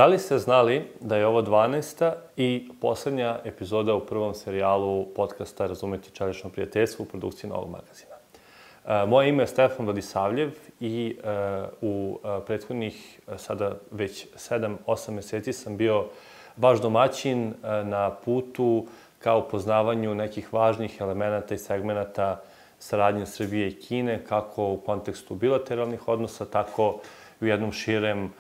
Da li ste znali da je ovo 12. i poslednja epizoda u prvom serijalu podcasta Razumeti čelično prijateljstvo u produkciji Novog magazina? Moje ime je Stefan Vladisavljev i u prethodnih sada već 7-8 meseci sam bio vaš domaćin na putu ka upoznavanju nekih važnih elemenata i segmenata saradnje Srbije i Kine, kako u kontekstu bilateralnih odnosa, tako i u jednom širem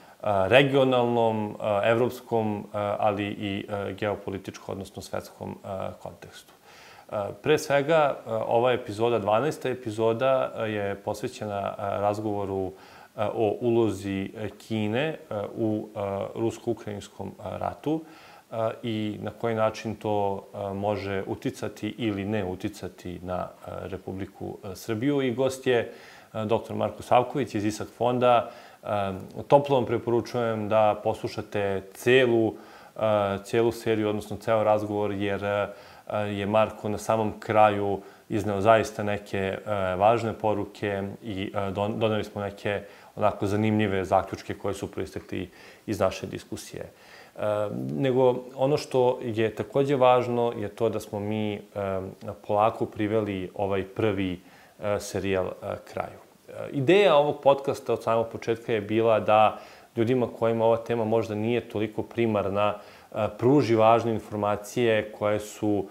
regionalnom, evropskom, ali i geopolitičkom, odnosno svetskom kontekstu. Pre svega, ova epizoda, 12. epizoda, je posvećena razgovoru o ulozi Kine u rusko-ukrajinskom ratu i na koji način to može uticati ili ne uticati na Republiku Srbiju. I gost je dr. Marko Savković iz ISAK fonda. Toplo vam preporučujem da poslušate celu seriju, odnosno ceo razgovor, jer je Marko na samom kraju izneo zaista neke važne poruke i doneli smo neke onako zanimljive zaključke koje su proistekli iz naše diskusije. Nego ono što je takođe važno je to da smo mi polako priveli ovaj prvi serijal kraju. Ideja ovog podcasta od samog početka je bila da ljudima kojima ova tema možda nije toliko primarna pruži važne informacije koje su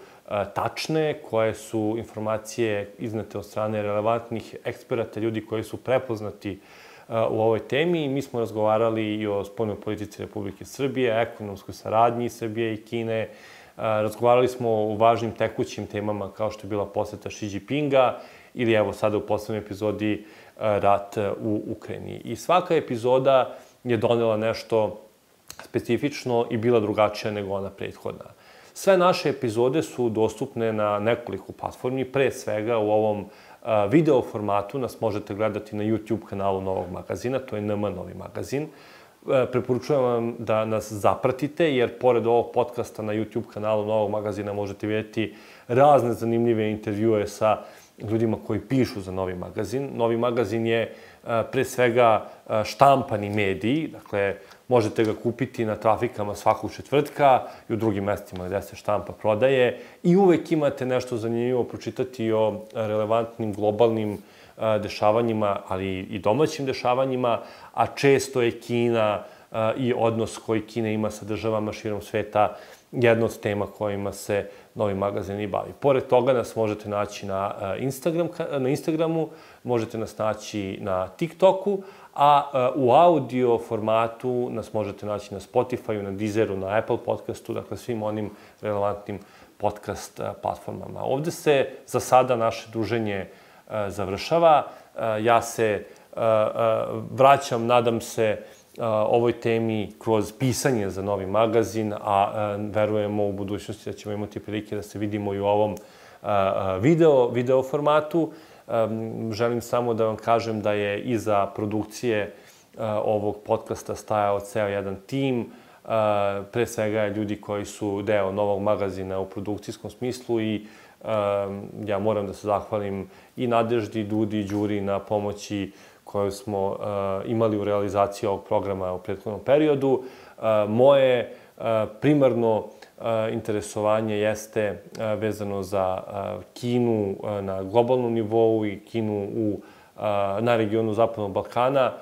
tačne, koje su informacije iznete od strane relevantnih eksperata, ljudi koji su prepoznati u ovoj temi. Mi smo razgovarali i o spoljnoj politici Republike Srbije, ekonomskoj saradnji Srbije i Kine. Razgovarali smo o važnim tekućim temama kao što je bila poseta Xi Jinpinga ili evo sada u poslednjoj epizodi rat u Ukrajini. I svaka epizoda je donela nešto specifično i bila drugačija nego ona prethodna. Sve naše epizode su dostupne na nekoliko platformi, pre svega u ovom video formatu nas možete gledati na YouTube kanalu Novog magazina, to je NM Novi magazin. Preporučujem vam da nas zapratite, jer pored ovog podcasta na YouTube kanalu Novog magazina možete vidjeti razne zanimljive intervjue sa ljudima koji pišu za Novi magazin. Novi magazin je pre svega štampani medij, dakle možete ga kupiti na trafikama svakog četvrtka i u drugim mestima gde se štampa prodaje i uvek imate nešto zanimljivo pročitati o relevantnim globalnim dešavanjima, ali i domaćim dešavanjima, a često je Kina i odnos koji Kina ima sa državama širom sveta jedna od tema kojima se Novi magazin i bavi. Pored toga nas možete naći na Instagramu, možete nas naći na TikToku, a u audio formatu nas možete naći na Spotifyu, na Deezeru, na Apple podcastu, dakle svim onim relevantnim podcast platformama. Ovde se za sada naše druženje završava. Ja se vraćam, nadam se, ovoj temi kroz pisanje za Novi magazin, a verujemo u budućnosti da ćemo imati prilike da se vidimo i u ovom video formatu. Želim samo da vam kažem da je iza produkcije ovog podcasta stajao ceo jedan tim, pre svega ljudi koji su deo Novog magazina u produkcijskom smislu i ja moram da se zahvalim i Nadeždi, Dudi i Đuri na pomoći koju smo imali u realizaciji ovog programa u prethodnom periodu. Moje primarno interesovanje jeste vezano za Kinu na globalnom nivou i Kinu na regionu Zapadnog Balkana.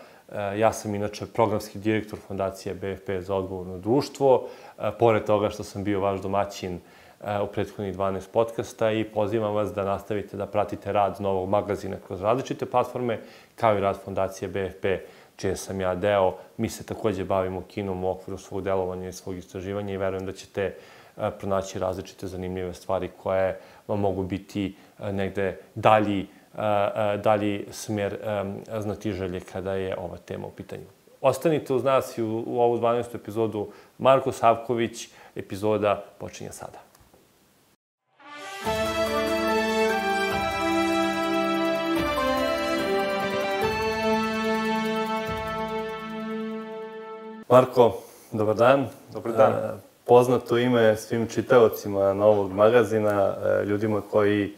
Ja sam inače programski direktor Fondacije BFP za odgovorno društvo, pored toga što sam bio vaš domaćin u prethodnih 12 podcasta i pozivam vas da nastavite da pratite rad Novog magazina kroz različite platforme, kao i rad Fondacije BFP, čije sam ja deo. Mi se takođe bavimo Kinom u okviru svog delovanja i svog istraživanja i verujem da ćete pronaći različite zanimljive stvari koje vam mogu biti negde dalji smer znatiželje kada je ova tema u pitanju. Ostanite uz nas i u ovu 12. epizodu. Marko Savković, epizoda počinje sada. Marko, dobar dan. Dobar dan. Poznato ime svim čitaocima Novog magazina, ljudima koji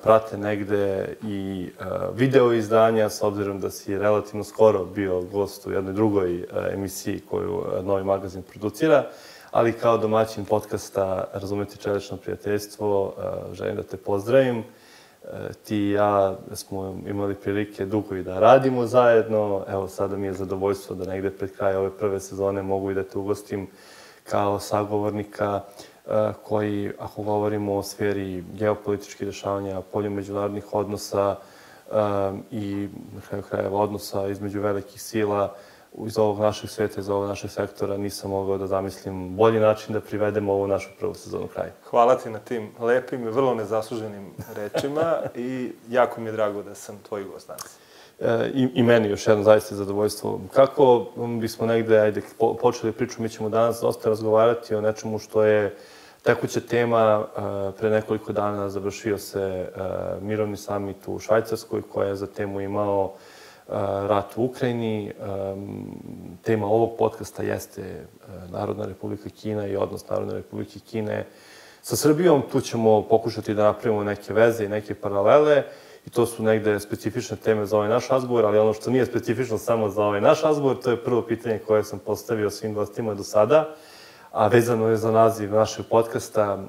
prate negde i video izdanja, s obzirom da si relativno skoro bio gost u jednoj drugoj emisiji koju Novi magazin producira, ali kao domaćin podcasta Razumeti čelično prijateljstvo, želim da te pozdravim. Ti i ja smo imali prilike dugo i da radimo zajedno. Evo, sada mi je zadovoljstvo da negde pred kraj ove prve sezone mogu i da te ugostim kao sagovornika koji, ako govorimo o sferi geopolitičkih dešavanja, polju međunarodnih odnosa i na kraju krajeva odnosa između velikih sila iz ovog našeg sveta, iz ovog našeg sektora, nisam mogao da zamislim bolji način da privedemo ovu našu prvu sezonu kraju. Hvala ti na tim lepim i vrlo nezasluženim rečima i jako mi je drago da sam tvoj gost danas. I meni još jedno zaista zadovoljstvo. Kako bismo negde počeli priču, mi ćemo danas dosta razgovarati o nečemu što je tekuća tema. Pre nekoliko dana završio se mirovni samit u Švajcarskoj koja je za temu imao rat u Ukrajini. Tema ovog podcasta jeste Narodna Republika Kina i odnos Narodne Republike Kine sa Srbijom. Tu ćemo pokušati da napravimo neke veze i neke paralele i to su negde specifične teme za ovaj naš razgovor, ali ono što nije specifično samo za ovaj naš razgovor, to je prvo pitanje koje sam postavio svim gostima do sada, a vezano je za naziv našeg podcasta.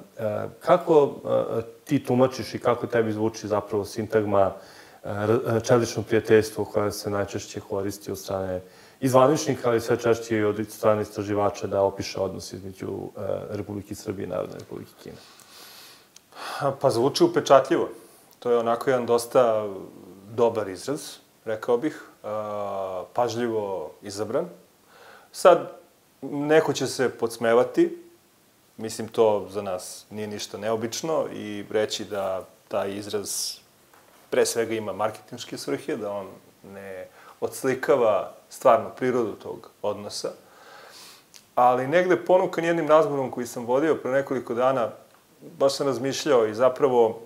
Kako ti tumačiš i kako tebi zvuči zapravo sintagma čelično prijateljstvo koja se najčešće koristi od strane zvaničnika, ali sve češće i od strane istraživača da opiše odnos između Republike Srbije i Narodne Republike Kine? Pa zvuči upečatljivo. To je onako jedan dosta dobar izraz, rekao bih, pažljivo izabran. Sad, neko će se podsmevati, mislim to za nas nije ništa neobično i reći da taj izraz pre svega ima marketinške svrhe, da on ne odslikava stvarnu prirodu tog odnosa. Ali negde ponukan jednim razgovorom koji sam vodio pre nekoliko dana, baš sam razmišljao i zapravo,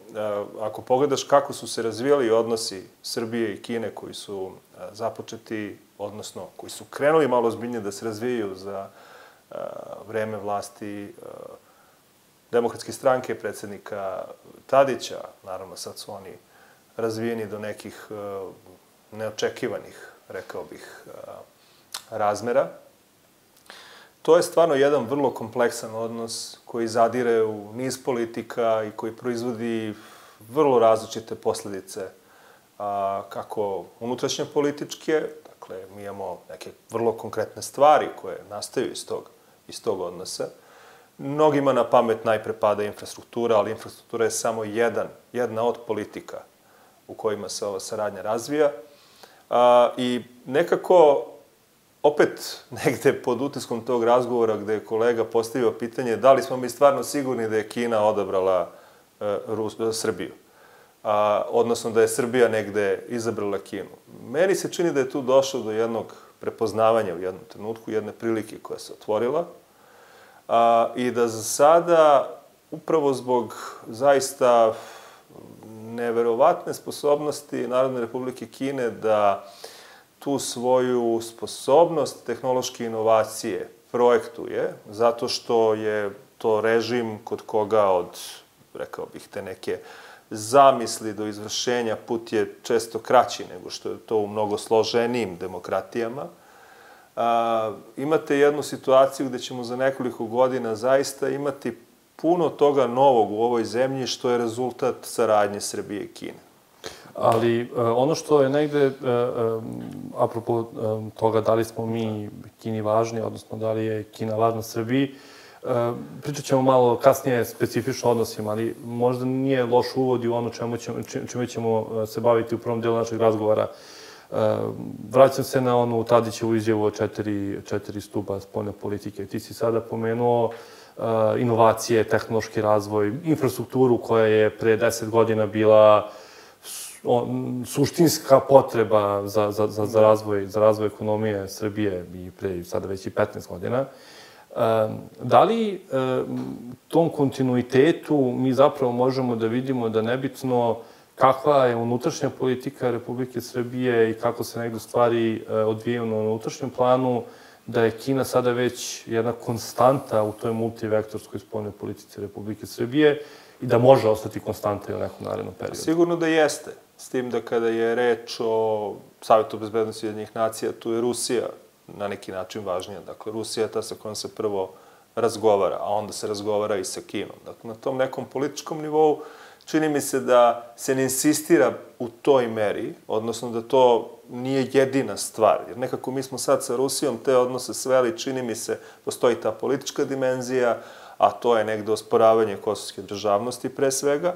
ako pogledaš kako su se razvijali odnosi Srbije i Kine koji su započeti, odnosno koji su krenuli malo ozbiljnije da se razvijaju za vreme vlasti Demokratske stranke, predsednika Tadića, naravno sad su oni razvijeni do nekih neočekivanih, rekao bih, razmera. To je stvarno jedan vrlo kompleksan odnos koji zadire u niz politika i koji proizvodi vrlo različite posledice, kako unutrašnje političke, dakle, mi imamo neke vrlo konkretne stvari koje nastaju iz tog odnosa. Mnogima na pamet najpre pada infrastruktura, ali infrastruktura je samo jedna od politika u kojima se ova saradnja razvija. I nekako, opet negde pod utiskom tog razgovora gde je kolega postavio pitanje da li smo mi stvarno sigurni da je Kina odabrala Srbiju, odnosno da je Srbija negde izabrala Kinu. Meni se čini da je tu došlo do jednog prepoznavanja u jednom trenutku, jedne prilike koja se otvorila i da za sada, upravo zbog zaista neverovatne sposobnosti Narodne Republike Kine da tu svoju sposobnost tehnološke inovacije projektuje, zato što je to režim kod koga od, rekao bih, te neke zamisli do izvršenja put je često kraći nego što je to u mnogo složenijim demokratijama. Imate jednu situaciju gde ćemo za nekoliko godina zaista imati puno toga novog u ovoj zemlji što je rezultat saradnje Srbije i Kine. Ali ono što je negde, apropo toga da li smo mi Kini važni, odnosno da li je Kina važna Srbiji, pričat ćemo malo kasnije specifično odnosima, ali možda nije loš uvod i u ono čime ćemo se baviti u prvom delu našeg razgovora. Vraćam se na onu Tadićevu izjavu o četiri stuba spoljne politike. Ti si sada pomenuo inovacije, tehnološki razvoj, infrastrukturu koja je pre 10 godina bila suštinska potreba za razvoj ekonomije Srbije i pre sada već i 15 godina. Da li tom kontinuitetu mi zapravo možemo da vidimo da nebitno kakva je unutrašnja politika Republike Srbije i kako se negde stvari odvijaju na unutrašnjem planu, da je Kina sada već jedna konstanta u toj multivektorskoj spoljnoj politici Republike Srbije i da može ostati konstanta i u nekom narednom periodu? Sigurno da jeste. S tim da kada je reč o Savjetu bezbednosti Ujedinjenih nacija, tu je Rusija na neki način važnija. Dakle, Rusija je ta sa kojom se prvo razgovara, a onda se razgovara i sa Kinom. Dakle, na tom nekom političkom nivou čini mi se da se ne insistira u toj meri, odnosno da to nije jedina stvar. Jer nekako mi smo sad sa Rusijom te odnose sveli, čini mi se, postoji ta politička dimenzija, a to je negde osporavanje kosovske državnosti pre svega,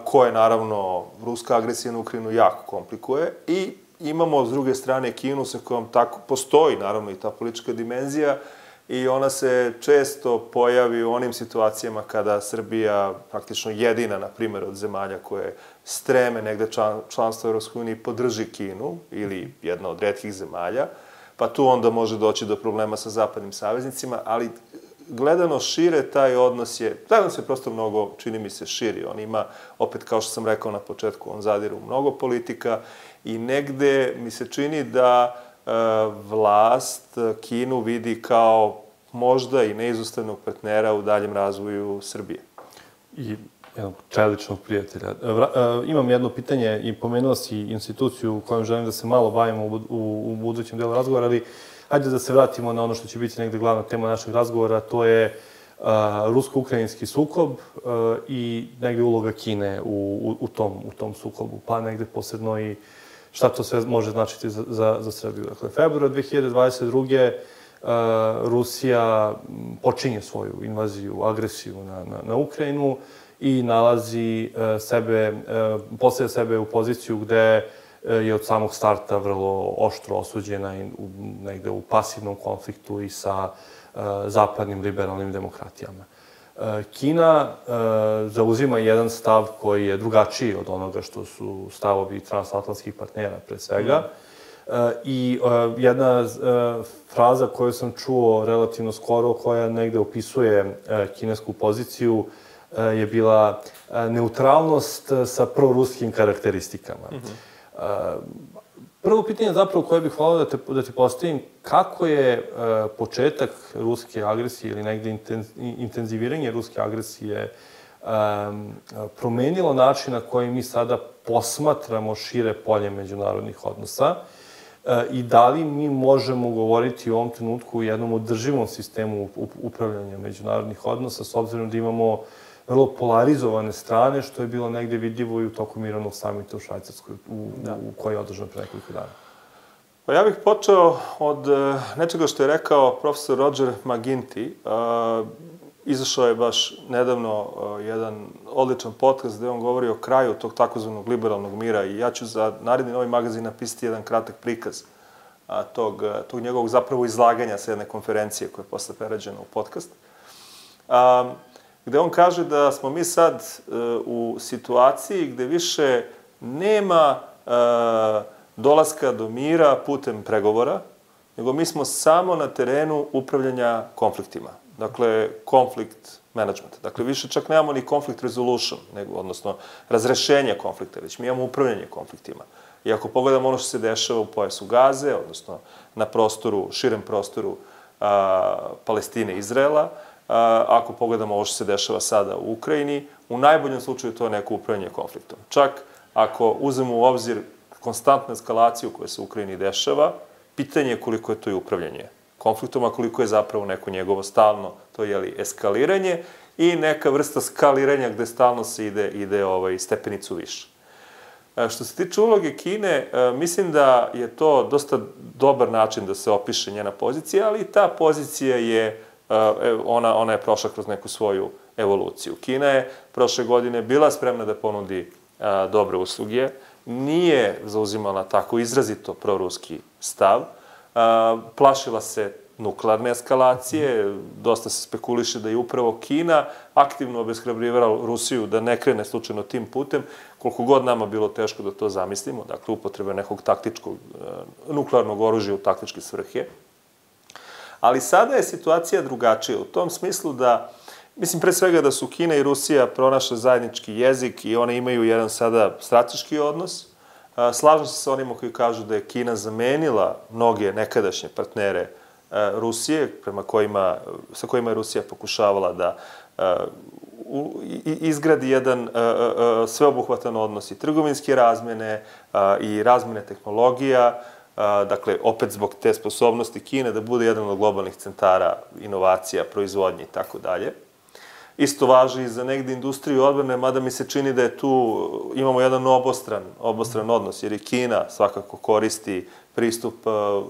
koje, naravno, ruska agresija na Ukrajinu jako komplikuje. I imamo, s druge strane, Kinu sa kojom tako postoji, naravno, i ta politička dimenzija, i ona se često pojavi u onim situacijama kada Srbija, praktično jedina, na primjer, od zemalja koje streme negde članstvo Evropskoj uniji, podrži Kinu, ili jedna od retkih zemalja, pa tu onda može doći do problema sa zapadnim saveznicima, ali gledano šire, taj odnos je prosto mnogo, čini mi se, širi. On ima, opet, kao što sam rekao na početku, on zadire u mnogo politika i negde mi se čini da vlast Kinu vidi kao možda i neizostavnog partnera u daljem razvoju Srbije. I jednog čeličnog prijatelja. Imam jedno pitanje i pomenuo si instituciju u kojom želim da se malo bavimo u budućem delu razgovora, ali hajde da se vratimo na ono što će biti negde glavna tema našeg razgovora, to je rusko-ukrajinski sukob i negde uloga Kine u tom sukobu, pa negde posebno i šta to sve može značiti za Srbiju. Dakle, februar 2022. Rusija počinje svoju invaziju, agresiju na Ukrajinu i postavlja sebe u poziciju gde je od samog starta vrlo oštro osuđena i negde u pasivnom konfliktu i sa zapadnim liberalnim demokratijama. Kina zauzima jedan stav koji je drugačiji od onoga što su stavovi transatlantskih partnera, pre svega. I jedna fraza koju sam čuo relativno skoro, koja negde opisuje kinesku poziciju, je bila neutralnost sa proruskim karakteristikama. Prvo pitanje zapravo koje bih volao da ti postavim, kako je početak ruske agresije ili negde intenziviranje ruske agresije promenilo način na koji mi sada posmatramo šire polje međunarodnih odnosa i da li mi možemo govoriti u ovom trenutku o jednom održivom sistemu upravljanja međunarodnih odnosa, s obzirom da imamo vrlo polarizovane strane, što je bilo negde vidljivo i u toku mirovnog samita u Švajcarskoj, koji je održan pre nekoliko dana. Pa ja bih počeo od nečega što je rekao profesor Roger McGinty. Izašao je baš nedavno jedan odličan podcast gde on govori o kraju tog takozvanog liberalnog mira i ja ću za naredni Novi magazin napisati jedan kratak prikaz tog njegovog zapravo izlaganja sa jedne konferencije koja je posle prerađena u podcast, gde on kaže da smo mi sad u situaciji gde više nema dolaska do mira putem pregovora, nego mi smo samo na terenu upravljanja konfliktima. Dakle, conflict management. Dakle, više čak nemamo ni conflict resolution, odnosno razrešenje konflikta, već mi imamo upravljanje konfliktima. I ako pogledamo ono što se dešava u pojasu Gaze, odnosno na širem prostoru Palestine i Izraela, ako pogledamo ovo što se dešava sada u Ukrajini, u najboljem slučaju to je neko upravljanje konfliktom. Čak ako uzmemo u obzir konstantnu eskalaciju koja se u Ukrajini dešava, pitanje je koliko je to i upravljanje konfliktom, a koliko je zapravo neko njegovo stalno, to je eskaliranje i neka vrsta skaliranja gde stalno se ide stepenicu više. Što se tiče uloge Kine, mislim da je to dosta dobar način da se opiše njena pozicija, ali ta pozicija je, ona je prošla kroz neku svoju evoluciju. Kina je prošle godine bila spremna da ponudi dobre usluge, nije zauzimala tako izrazito proruski stav, plašila se nuklearne eskalacije, dosta se spekuliše da je upravo Kina aktivno obeshrabrivala Rusiju da ne krene slučajno tim putem, koliko god nama bilo teško da to zamislimo, dakle upotrebe nekog taktičkog nuklearnog oružja u taktičke svrhe. Ali sada je situacija drugačija u tom smislu da, mislim pre svega da su Kina i Rusija pronašle zajednički jezik i one imaju jedan sada strateški odnos. Slažem se sa onima koji kažu da je Kina zamenila mnoge nekadašnje partnere Rusije, sa kojima je Rusija pokušavala da izgradi jedan sveobuhvatan odnos i trgovinske razmene i razmene tehnologija, dakle, opet zbog te sposobnosti Kine da bude jedan od globalnih centara inovacija, proizvodnje i tako dalje. Isto važi i za negde industriju odbrane, mada mi se čini da je tu, imamo jedan obostran odnos, jer i Kina svakako koristi pristup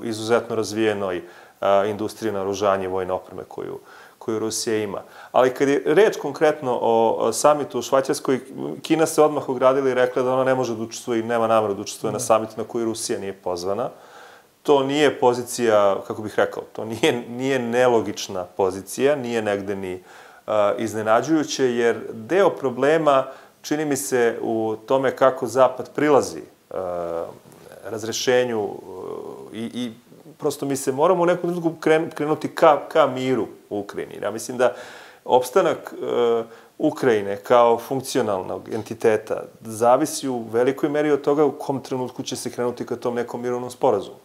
izuzetno razvijenoj industriji naoružanja i vojne opreme koju Rusija ima. Ali kad je reč konkretno o samitu u Švajcarskoj, Kina se odmah ogradila i rekla da ona ne može da učestvuje i nema nameru da učestvuje na samitu na koji Rusija nije pozvana. To nije pozicija, kako bih rekao, to nije nelogična pozicija, nije negde ni iznenađujuće, jer deo problema čini mi se u tome kako Zapad prilazi razrešenju i prosto mi se moramo u nekom trenutku krenuti ka miru u Ukrajini. Ja mislim da opstanak Ukrajine kao funkcionalnog entiteta zavisi u velikoj meri od toga u kom trenutku će se krenuti ka tom nekom mirovnom sporazumu.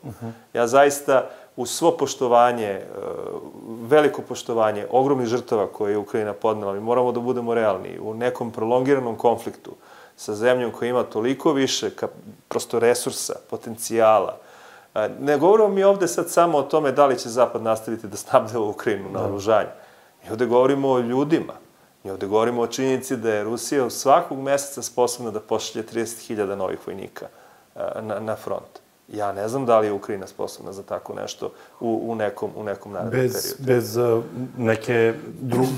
Ja zaista uz svo poštovanje, veliko poštovanje ogromnih žrtava koje je Ukrajina podnela, mi moramo da budemo realni. U nekom prolongiranom konfliktu sa zemljom koja ima toliko više prosto resursa, potencijala. Ne govorimo mi ovde sad samo o tome da li će Zapad nastaviti da snabdeva Ukrajinu na oružanje. Mi ovde govorimo o ljudima. Mi ovde govorimo o činjenici da je Rusija svakog meseca sposobna da pošalje 30.000 novih vojnika na front. Ja ne znam da li je Ukrajina sposobna za tako nešto u nekom narednom periodu. Bez neke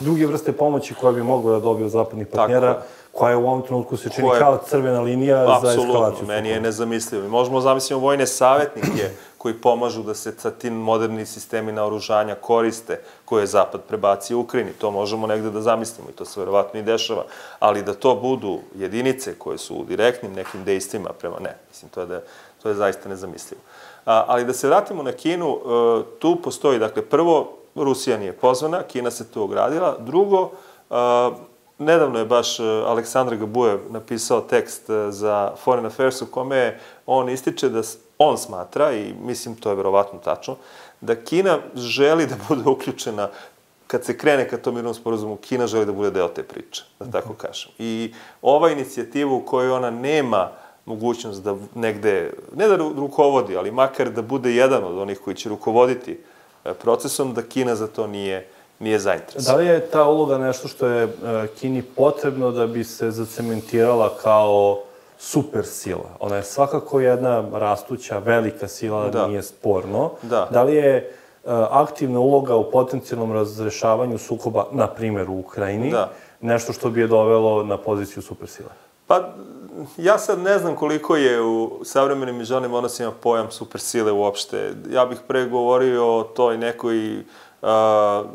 druge vrste pomoći koje bi moglo da dobiju zapadnih partnera, koja u ovom trenutku se čini kao crvena linija za eskalaciju. Apsolutno, meni je nezamislivo. Mi možemo zamisliti vojne savjetnike koji pomažu da se sa tim moderni sistemi naoružanja koriste, koje je Zapad prebacio u Ukrajini. To možemo negde da zamislimo i to se verovatno i dešava. Ali da to budu jedinice koje su u direktnim nekim dejstvima prema ne. Mislim, to je zaista nezamislivo. Ali da se vratimo na Kinu, tu postoji, dakle, prvo, Rusija nije pozvana, Kina se tu ogradila. Drugo, nedavno je baš Aleksandar Gabujev napisao tekst za Foreign Affairs u kome on ističe da on smatra, i mislim to je verovatno tačno, da Kina želi da bude uključena, kad se krene ka tom mirnom sporazumu, Kina želi da bude deo te priče, da tako kažem. I ova inicijativa u kojoj ona nema mogućnost da negde, ne da rukovodi, ali makar da bude jedan od onih koji će rukovoditi procesom, da Kina za to nije zainteresovana. Da li je ta uloga nešto što je Kini potrebno da bi se zacementirala kao super sila? Ona je svakako jedna rastuća, velika sila, nije sporno. Da li je aktivna uloga u potencijalnom razrešavanju sukoba, na primjer u Ukrajini, nešto što bi je dovelo na poziciju super sile? Pa, ja sad ne znam koliko je u savremenim međunarodnim odnosima pojam supersile uopšte. Ja bih pre govorio o toj nekoj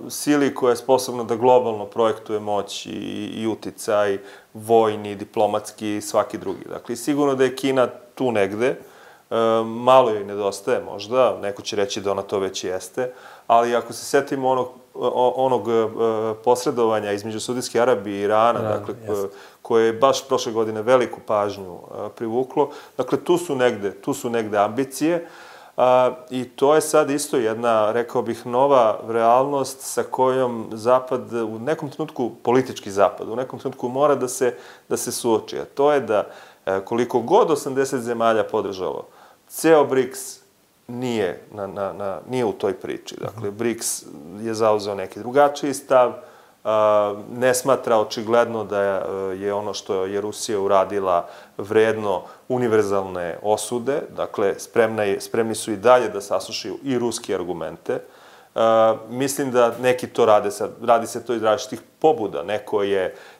sili koja je sposobna da globalno projektuje moć i uticaj, vojni, diplomatski i svaki drugi. Dakle, sigurno da je Kina tu negde, malo joj nedostaje možda, neko će reći da ona to već jeste, ali ako se setimo onog posredovanja između Saudijske Arabije i Irana, dakle, koje je baš prošle godine veliku pažnju privuklo, dakle, tu su negde ambicije, i to je sad isto jedna, rekao bih, nova realnost sa kojom Zapad, u nekom trenutku, politički Zapad, u nekom trenutku mora da se suoči. A to je da koliko god 80 zemalja podržalo, ceo BRICS nije u toj priči. Dakle, BRICS je zauzeo neki drugačiji stav, ne smatra očigledno da je ono što je Rusija uradila vredno univerzalne osude, dakle, spremni su i dalje da saslušaju i ruske argumente. Mislim da neki to radi se to iz različitih pobuda.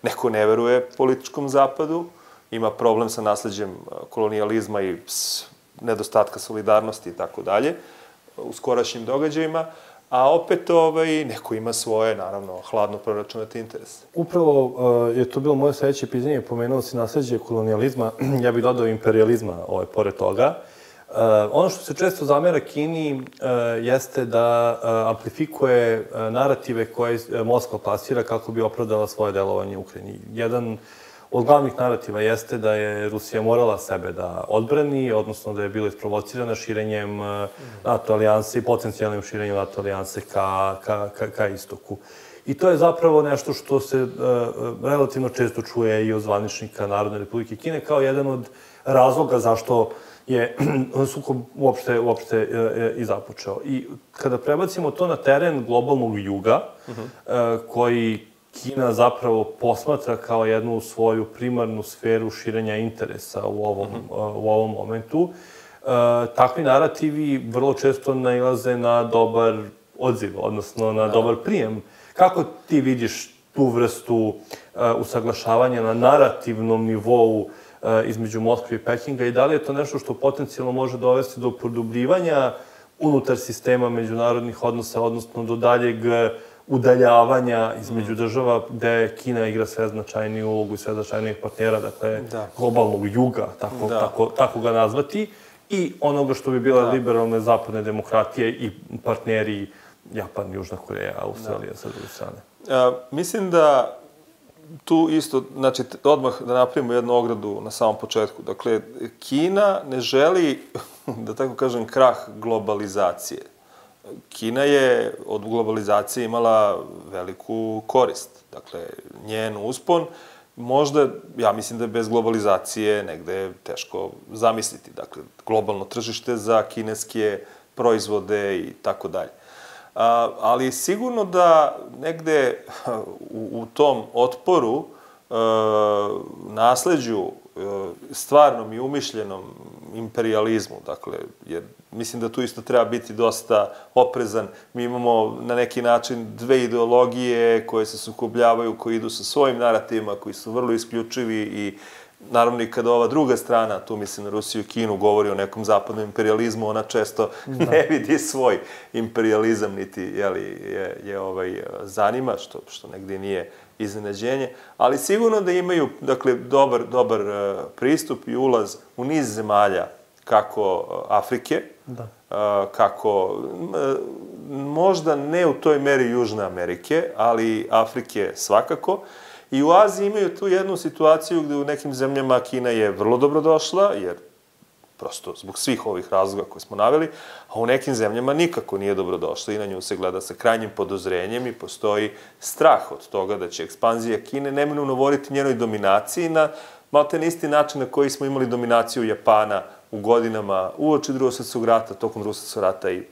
Neko ne veruje političkom Zapadu, ima problem sa nasleđem kolonijalizma i nedostatka solidarnosti i tako dalje u skorašnjim događajima, a opet neko ima svoje, naravno, hladno proračunate interese. Upravo je to bilo moje sledeće pitanje, pomenuo si nasleđe kolonijalizma, ja bih dodao imperializma pored toga. Ono što se često zamera Kini jeste da amplifikuje narative koje Moskva plasira kako bi opravdala svoje delovanje u Ukrajini. Jedan od glavnih narativa jeste da je Rusija morala sebe da odbrani, odnosno da je bila isprovocirana širenjem NATO alijanse i potencijalnim širenjem NATO alijanse ka istoku. I to je zapravo nešto što se relativno često čuje i od zvaničnika Narodne Republike Kine kao jedan od razloga zašto je sukob uopšte i započeo. I kada prebacimo to na teren globalnog juga, koji Kina zapravo posmatra kao jednu svoju primarnu sferu širenja interesa u ovom momentu, takvi narativi vrlo često nailaze na dobar odziv, odnosno na dobar prijem. Kako ti vidiš tu vrstu usaglašavanja na narativnom nivou između Moskve i Pekinga i da li je to nešto što potencijalno može dovesti do produbljivanja unutar sistema međunarodnih odnosa, odnosno do daljeg udaljavanja između država gde Kina igra sve značajniju ulogu i sve značajnijih partnera, dakle globalnog juga, tako ga nazvati, i onoga što bi bile liberalne zapadne demokratije i partneri Japan, Južna Koreja, Australija sa druge strane. Mislim da tu isto, znači, odmah da napravimo jednu ogradu na samom početku. Dakle, Kina ne želi, da tako kažem, krah globalizacije. Kina je od globalizacije imala veliku korist. Dakle, njen uspon, možda, ja mislim da je bez globalizacije negde teško zamisliti. Dakle, globalno tržište za kineske proizvode i tako dalje. Ali sigurno da negde u tom otporu, nasleđu, stvarnom i umišljenom imperializmu, dakle, jer mislim da tu isto treba biti dosta oprezan. Mi imamo na neki način dve ideologije koje se sukobljavaju, koji idu sa svojim narativima, koji su vrlo isključivi i naravno i kada ova druga strana, tu mislim na Rusiju i Kinu, govori o nekom zapadnom imperializmu, ona često ne vidi svoj imperializam, niti je zanima, što negdje nije iznenađenje, ali sigurno da imaju, dakle, dobar pristup i ulaz u niz zemalja, kako Afrike, kako, možda ne u toj meri Južne Amerike, ali Afrike svakako. I u Aziji imaju tu jednu situaciju gde u nekim zemljama Kina je vrlo dobrodošla, jer prosto zbog svih ovih razloga koje smo naveli, a u nekim zemljama nikako nije dobrodošla i na nju se gleda sa krajnjim podozrenjem i postoji strah od toga da će ekspanzija Kine neminovno voditi njenoj dominaciji na malte na isti način na koji smo imali dominaciju Japana u godinama uoči Drugog svjetskog rata, tokom Drugog svjetskog rata i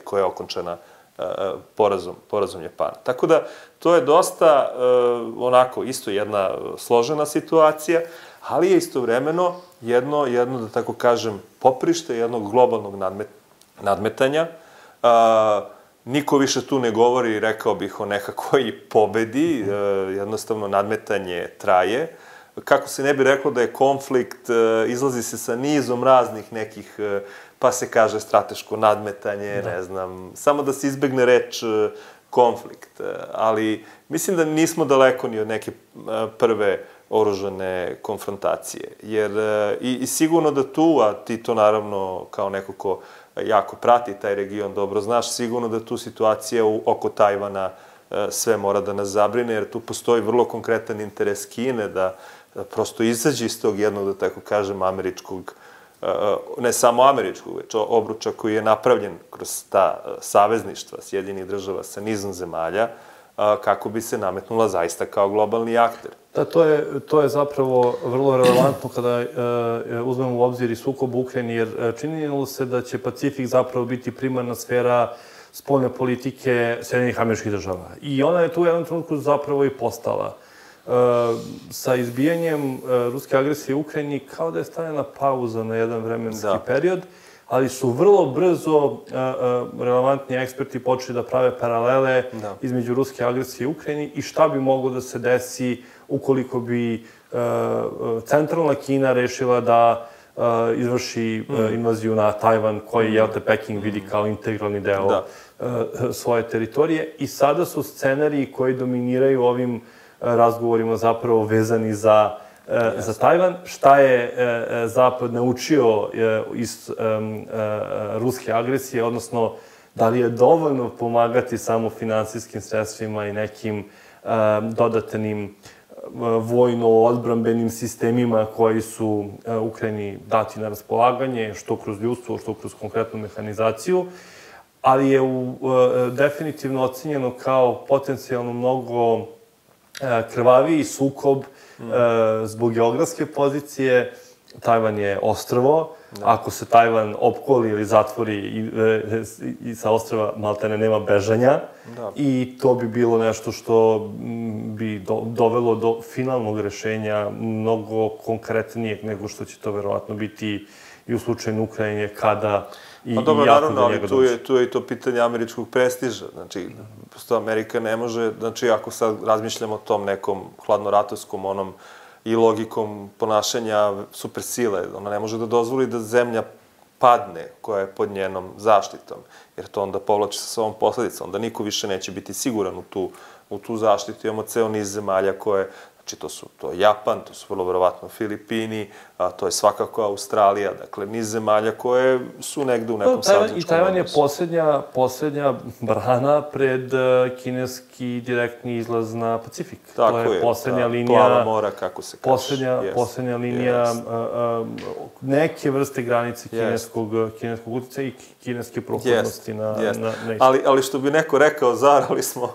koja je okončana porazom Japana. Tako da, to je dosta, onako, isto jedna složena situacija, ali je istovremeno jedno, da tako kažem, poprište jednog globalnog nadmetanja. Niko više tu ne govori, rekao bih, o nekakvoj pobedi, jednostavno nadmetanje traje. Kako se ne bi reklo da je konflikt, izlazi se sa nizom raznih nekih, pa se kaže strateško nadmetanje, ne znam, samo da se izbegne reč konflikt. Ali mislim da nismo daleko ni od neke prve oružane konfrontacije. Jer i sigurno da tu, a ti to naravno kao neko ko jako prati taj region, dobro znaš, sigurno da tu situacija oko Tajvana sve mora da nas zabrine, jer tu postoji vrlo konkretan interes Kine da prosto izađe iz tog jednog, da tako kažem, američkog, ne samo američkog, već obruča koji je napravljen kroz ta savezništva Sjedinjenih država sa nizom zemalja, kako bi se nametnula zaista kao globalni akter. Da, to je zapravo vrlo relevantno kada uzmemo u obzir i sukob u Ukrajini, jer činilo se da će Pacifik zapravo biti primarna sfera spoljne politike Sjedinjenih američkih država. I ona je tu u jednom trenutku zapravo i postala. Sa izbijanjem ruske agresije u Ukrajini kao da je stavljena pauza na jedan vremenski period, ali su vrlo brzo relevantni eksperti počeli da prave paralele između ruske agresije u Ukrajini i šta bi moglo da se desi ukoliko bi centralna Kina rešila da izvrši invaziju na Tajvan, koji Peking vidi kao integralni deo svoje teritorije. I sada su scenariji koji dominiraju ovim razgovorima zapravo vezani za Tajvan. Šta je Zapad naučio iz ruske agresije, odnosno da li je dovoljno pomagati samo finansijskim sredstvima i nekim dodatnim vojno-odbrambenim sistemima koji su Ukrajini dati na raspolaganje, što kroz ljudstvo, što kroz konkretnu mehanizaciju. ali je definitivno ocenjeno kao potencijalno mnogo krvaviji sukob zbog geografske pozicije. Tajvan je ostrvo. Ako se Tajvan opkoli ili zatvori i sa ostrva maltene nema bežanja, i to bi bilo nešto što bi dovelo do finalnog rešenja mnogo konkretnijeg nego što će to verovatno biti i u slučaju Ukrajine, kada i jako do njega dođe. Naravno, ali tu je i to pitanje američkog prestiža. Znači, prosto Amerika ne može, znači, ako sad razmišljamo o tom nekom hladnoratovskom onom i logikom ponašanja supersile, ona ne može da dozvoli da zemlja padne koja je pod njenom zaštitom, jer to onda povlači sa sobom posledica. Onda niko više neće biti siguran u tu zaštitu. Imamo ceo niz zemalja koje, znači to je Japan, to su vrlo verovatno Filipini, to je svakako Australija, dakle niz zemalja koje su negde u nekom savezničkom odnosu. I Tajvan je poslednja brana pred kineski direktni izlaz na Pacifik. Tako je, to je poslednja linija, plava mora, kako se kaže. Poslednja linija neke vrste granice kineskog uticaja i kineske prohodnosti na Ali što bi neko rekao, zarali smo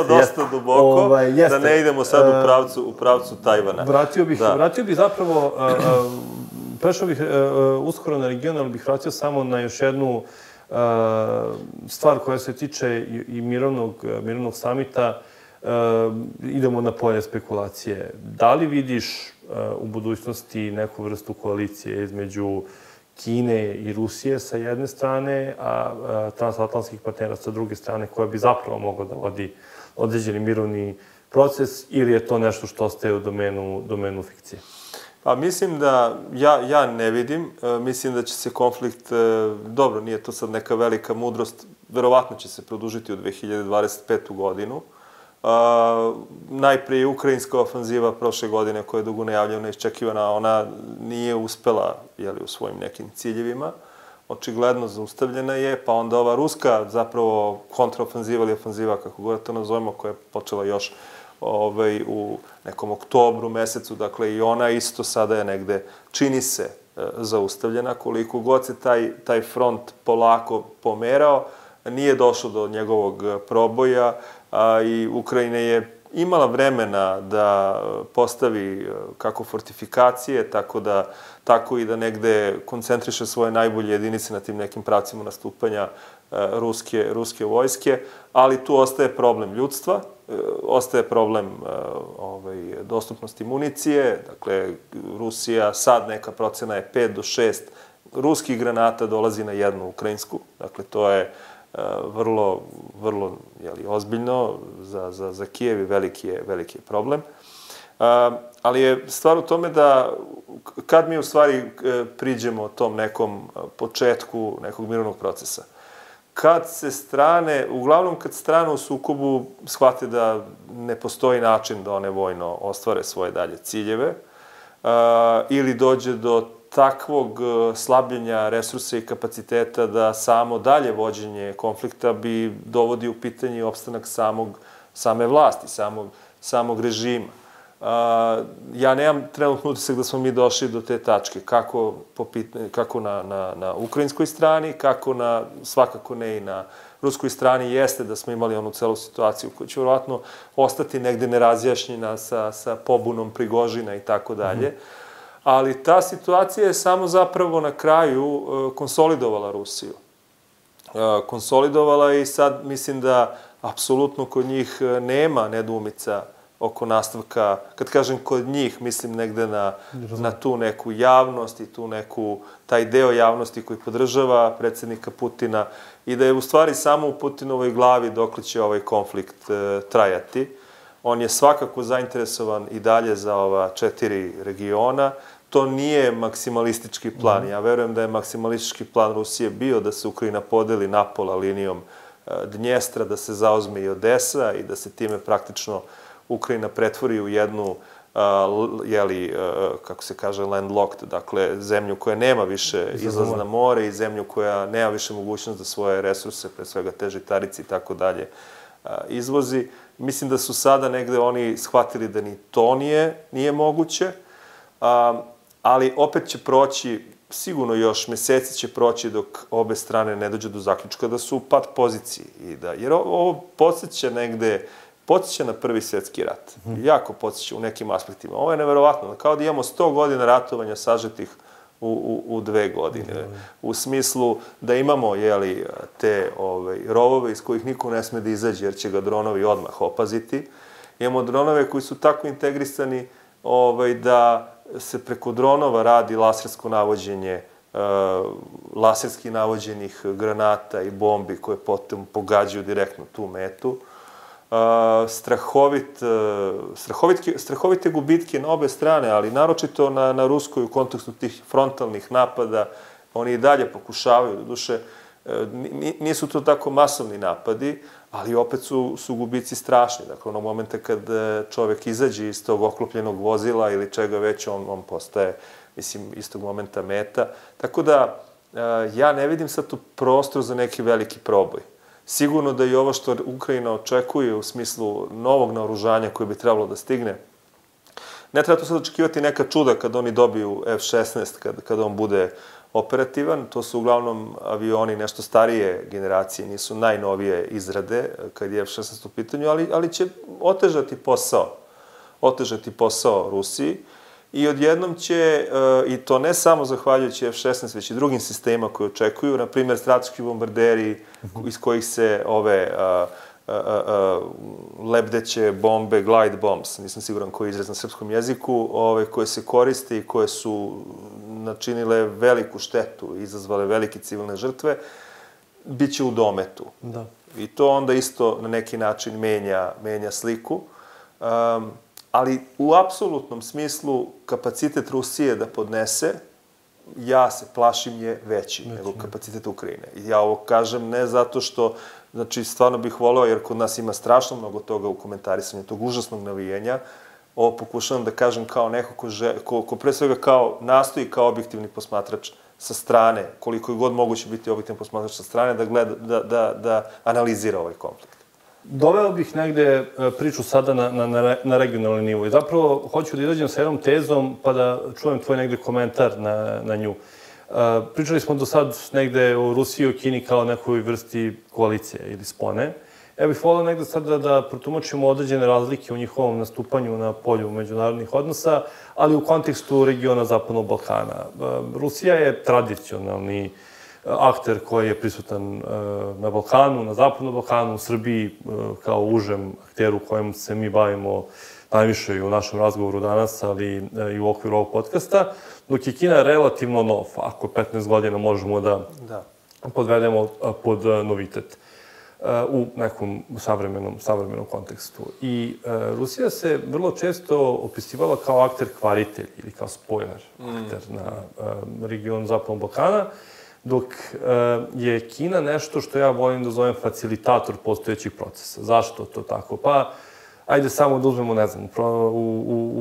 dosta duboko, da ne idemo sad u pravcu Tajvana. Vratio bih zapravo, prešao bih uskoro na region, ali bih vratio samo na još jednu stvar koja se tiče i mirovnog samita. Idemo na polje spekulacije. Da li vidiš u budućnosti neku vrstu koalicije između Kine i Rusije sa jedne strane, a transatlantskih partnera sa druge strane, koja bi zapravo mogla da vodi određeni mirovni proces, ili je to nešto što ostaje u domenu fikcije? Pa mislim da, ja ne vidim, mislim da će se konflikt, dobro, nije to sad neka velika mudrost, verovatno će se produžiti u 2025. godinu. Najprije ukrajinska ofanziva prošle godine, koja je dugo najavljena, iščekivana, ona nije uspela u svojim nekim ciljevima. Očigledno zaustavljena je, pa onda ova ruska zapravo kontraofanziva ili ofanziva, kako god to nazovemo, koja je počela još u nekom oktobru mesecu, dakle i ona isto sada je negde, čini se, zaustavljena. Koliko god se taj front polako pomerao, nije došlo do njegovog proboja i Ukrajina je imala vremena da postavi kako fortifikacije, tako i da negde koncentriše svoje najbolje jedinice na tim nekim pravcima nastupanja ruske vojske, ali tu ostaje problem ljudstva, ostaje problem dostupnosti municije, dakle Rusija, sad neka procena je 5 do 6 ruskih granata dolazi na jednu ukrajinsku, dakle to je vrlo ozbiljno za Kijev i veliki je problem. Ali je stvar u tome da kad mi u stvari priđemo tom nekom početku nekog mirovnog procesa, uglavnom kad strane u sukobu shvate da ne postoji način da one vojno ostvare svoje dalje ciljeve, ili dođe do takvog slabljenja resursa i kapaciteta da samo dalje vođenje konflikta bi dovodi u pitanje opstanak same vlasti, samog režima. Ja nemam trenutno utisak da smo mi došli do te tačke, kako na ukrajinskoj strani, svakako ne i na ruskoj strani, jeste da smo imali onu celu situaciju koja će vjerovatno ostati negde nerazjašnjena sa pobunom Prigožina i tako dalje. Ali ta situacija je samo zapravo na kraju konsolidovala Rusiju. Konsolidovala i sad mislim da apsolutno kod njih nema nedoumica oko nastavka, kad kažem kod njih, mislim negde na tu neku javnost i taj deo javnosti koji podržava predsjednika Putina i da je u stvari samo u Putinovoj glavi dokle će ovaj konflikt trajati. On je svakako zainteresovan i dalje za ova 4 regiona. To nije maksimalistički plan. Ja verujem da je maksimalistički plan Rusije bio da se Ukrajina podeli napola linijom Dnjestra, da se zauzme i Odesa i da se time praktično Ukrajina pretvori u jednu, kako se kaže, landlocked, dakle, zemlju koja nema više izlaz na more i zemlju koja nema više mogućnost da svoje resurse, pre svega te žitarice i tako dalje, izvozi. Mislim da su sada negde oni shvatili da ni to nije moguće, ali opet će proći sigurno još meseci će proći dok obe strane ne dođe do zaključka da su u pad poziciji. Jer ovo podsjeća na Prvi svjetski rat. Jako podsjeća u nekim aspektima. Ovo je neverovatno. Kao da imamo 100 godina ratovanja sažetih u 2 godine. U smislu da imamo te rovove iz kojih niko ne sme da izađe jer će ga dronovi odmah opaziti. Imamo dronove koji su tako integrisani da se preko dronova radi lasersko navođenje, laserski navođenih granata i bombi koje potom pogađaju direktno tu metu. Strahovite gubitke na obe strane, ali naročito na Ruskoj u kontekstu tih frontalnih napada. Oni i dalje pokušavaju, doduše, nisu to tako masovni napadi, ali opet su gubici strašni. Dakle, onog momenta kad čovek izađe iz tog oklopljenog vozila ili čega već, on postaje, mislim, istog momenta meta. Tako da, ja ne vidim sad tu prostor za neki veliki proboj. Sigurno da i ovo što Ukrajina očekuje u smislu novog naoružanja koje bi trebalo da stigne, ne treba tu sad očekivati neka čuda kad oni dobiju F-16, kad on bude operativan. To su uglavnom avioni nešto starije generacije, nisu najnovije izrade kad je F-16 u pitanju, ali će otežati posao Rusiji i odjednom će, i to ne samo zahvaljujući F-16, već i drugim sistemima koje očekuju, na primjer strateški bombarderi iz kojih se ove lebdeće bombe, glide bombs, nisam siguran koji je izraz na srpskom jeziku, koje se koriste i koje su načinile veliku štetu i izazvale velike civilne žrtve, bit će u dometu. I to onda isto na neki način menja sliku. Ali u apsolutnom smislu kapacitet Rusije da podnese, ja se plašim, je veći nego kapacitet Ukrajine. I ja ovo kažem ne zato što, znači, stvarno bih voleo, jer kod nas ima strašno mnogo toga u komentarisanju, tog užasnog navijenja. Ovo pokušavam da kažem kao neko ko pre svega nastoji kao objektivni posmatrač sa strane, koliko je god moguće biti objektivni posmatrač sa strane, da analizira ovaj konflikt. Doveo bih negde priču sada na regionalni nivo i zapravo hoću da izađem sa jednom tezom pa da čujem tvoj negde komentar na nju. Pričali smo do sad negde o Rusiji i o Kini kao nekoj vrsti koalicije ili spone. Ja bih volio negde sad da protumačimo određene razlike u njihovom nastupanju na polju međunarodnih odnosa, ali u kontekstu regiona Zapadnog Balkana. Rusija je tradicionalni akter koji je prisutan na Balkanu, na Zapadnom Balkanu, u Srbiji kao užem akteru kojem se mi bavimo najviše i u našem razgovoru danas, ali i u okviru ovog podcasta, dok je Kina relativno nov, ako 15 godina možemo da podvedemo pod novitet u nekom savremenom kontekstu. I Rusija se vrlo često opisivala kao akter kvaritelj ili kao spoiler akter na regionu Zapadnog Balkana, dok je Kina nešto što ja volim da zovem facilitator postojećih procesa. Zašto to tako? Pa, ajde samo da uzmemo, ne znam,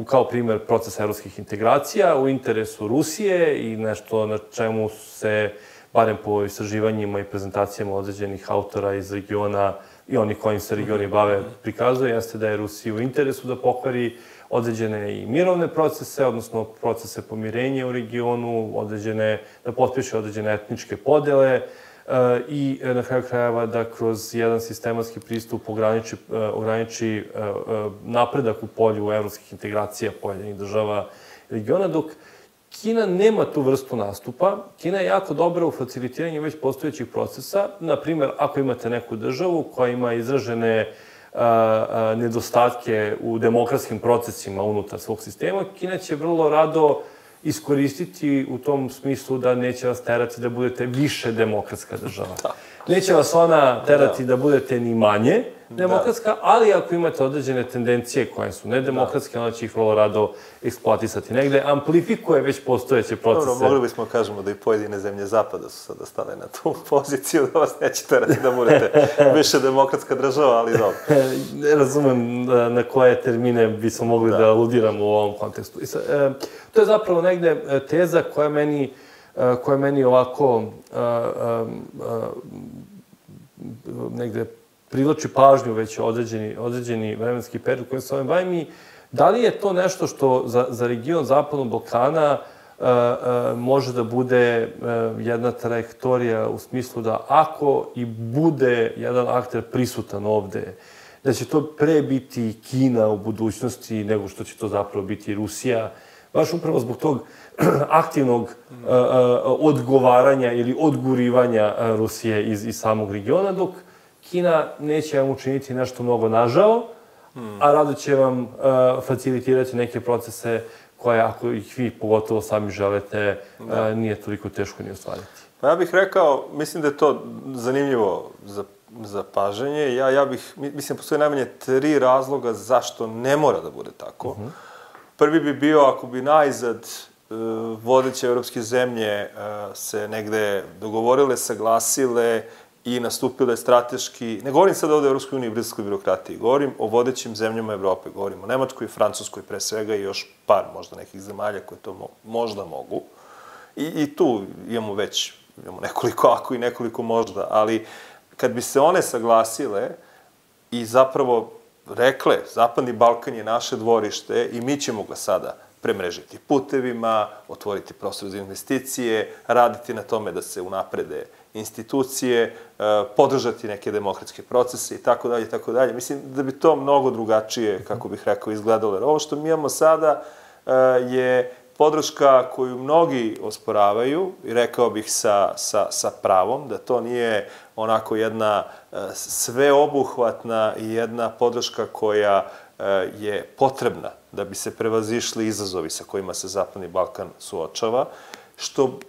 kao primer proces evropskih integracija u interesu Rusije i nešto na čemu se, barem po istraživanjima i prezentacijama određenih autora iz regiona i oni kojim se regioni bave prikazuje, jeste da je Rusiji u interesu da pokvari određene i mirovne procese, odnosno procese pomirenja u regionu, da potpiše određene etničke podele i na kraju krajeva da kroz jedan sistematski pristup ograniči napredak u polju evropskih integracija pojedinih država regiona, dok Kina nema tu vrstu nastupa. Kina je jako dobra u facilitiranju već postojećih procesa. Naprimjer, ako imate neku državu koja ima izražene nedostatke u demokratskim procesima unutar svog sistema, Kina će vrlo rado iskoristiti u tom smislu da neće vas terati da budete više demokratska država. Neće vas ona terati da budete ni manje demokratska, ali ako imate određene tendencije koje su nedemokratske, ona će ih vrlo rado eksploatisati. Negde amplifikuje već postojeće procese. Dobro, mogli bismo kažemo da i pojedine zemlje Zapada su sada stale na tu poziciju, da vas neće terati da budete više demokratska država, ali dobro. Ne razumem na koje termine bismo mogli da aludiramo u ovom kontekstu. To je zapravo negde teza koja meni ovako negde privlači pažnju već određeni vremenski period kojim se ovim bavim i da li je to nešto što za region Zapadnog Balkana može da bude jedna trajektorija u smislu da ako i bude jedan akter prisutan ovde, da će to pre biti Kina u budućnosti nego što će to zapravo biti Rusija, baš upravo zbog tog aktivnog odgovaranja ili odgurivanja Rusije iz samog regiona, dok Kina neće vam učiniti nešto mnogo nažao, a rado će vam facilitirati neke procese koje, ako ih vi pogotovo sami želite, nije toliko teško ni ostvariti. Pa ja bih rekao, mislim da je to zanimljivo za paženje. Mislim, postoje najmanje 3 razloga zašto ne mora da bude tako. Prvi bi bio ako bi najzad vodeće evropske zemlje se negde dogovorile, saglasile i nastupile strateški, ne govorim sad ovde o Evropskoj uniji i briselskoj birokratiji, govorim o vodećim zemljama Evrope, govorim o Nemačkoj i Francuskoj pre svega i još par možda nekih zemalja koje to možda mogu. I tu imamo nekoliko ako i nekoliko možda, ali kad bi se one saglasile i zapravo rekle, Zapadni Balkan je naše dvorište i mi ćemo ga sada premrežiti putevima, otvoriti prostor za investicije, raditi na tome da se unaprede institucije, podržati neke demokratske procese i tako dalje, i tako dalje. Mislim da bi to mnogo drugačije, kako bih rekao, izgledalo. Jer ovo što mi imamo sada je podrška koju mnogi osporavaju i rekao bih sa pravom, da to nije onako jedna sveobuhvatna i jedna podrška koja je potrebna da bi se prevazišli izazovi sa kojima se Zapadni Balkan suočava, što